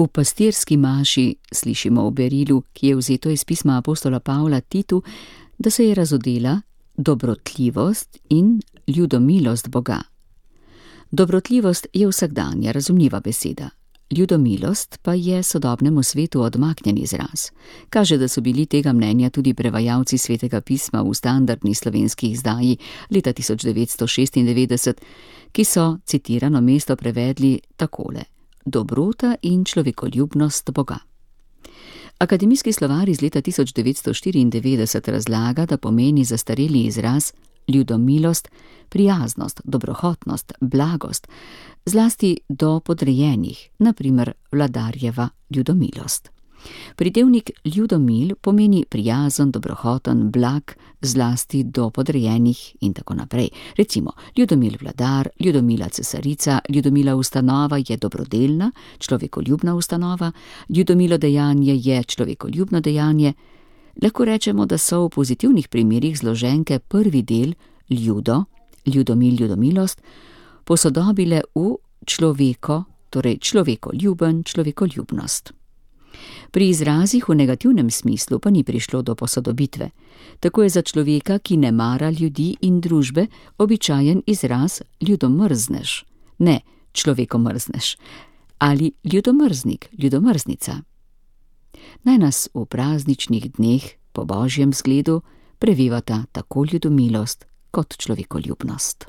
V pastirski maši slišimo v berilu, ki je vzeto iz pisma apostola Pavla Titu, da se je razodela dobrotljivost in ljudomilost Boga. Dobrotljivost je vsakdanja, razumljiva beseda. Ljudomilost pa je sodobnemu svetu odmaknjen izraz. Kaže, da so bili tega mnenja tudi prevajalci Svetega pisma v standardni slovenski izdaji leta 1996, ki so citirano mesto prevedli takole: dobrota in človekoljubnost Boga. Akademijski slovar iz leta 1994 razlaga, da pomeni zastareli izraz ljudomilost, prijaznost, dobrohotnost, blagost, zlasti do podrejenih, na primer vladarjeva ljudomilost. Pridevnik ljudomil pomeni prijazen, dobrohoten, blag, zlasti do podrejenih in tako naprej. Recimo, ljudomil vladar, ljudomila cesarica, ljudomila ustanova je dobrodelna, človekoljubna ustanova, ljudomilo dejanje je človekoljubno dejanje. Lahko rečemo, da so v pozitivnih primerih zloženke prvi del ljudo, ljudomil, ljudomilost, posodobile v človeko, torej človekoljuben, človekoljubnost. Pri izrazih v negativnem smislu pa ni prišlo do posodobitve. Tako je za človeka, ki ne mara ljudi in družbe, običajen izraz ljudomrzneš, ne človekomrzneš, ali ljudomrznik, ljudomrznica. Naj nas v prazničnih dneh po božjem zgledu prevevata tako ljudomilost kot človekoljubnost.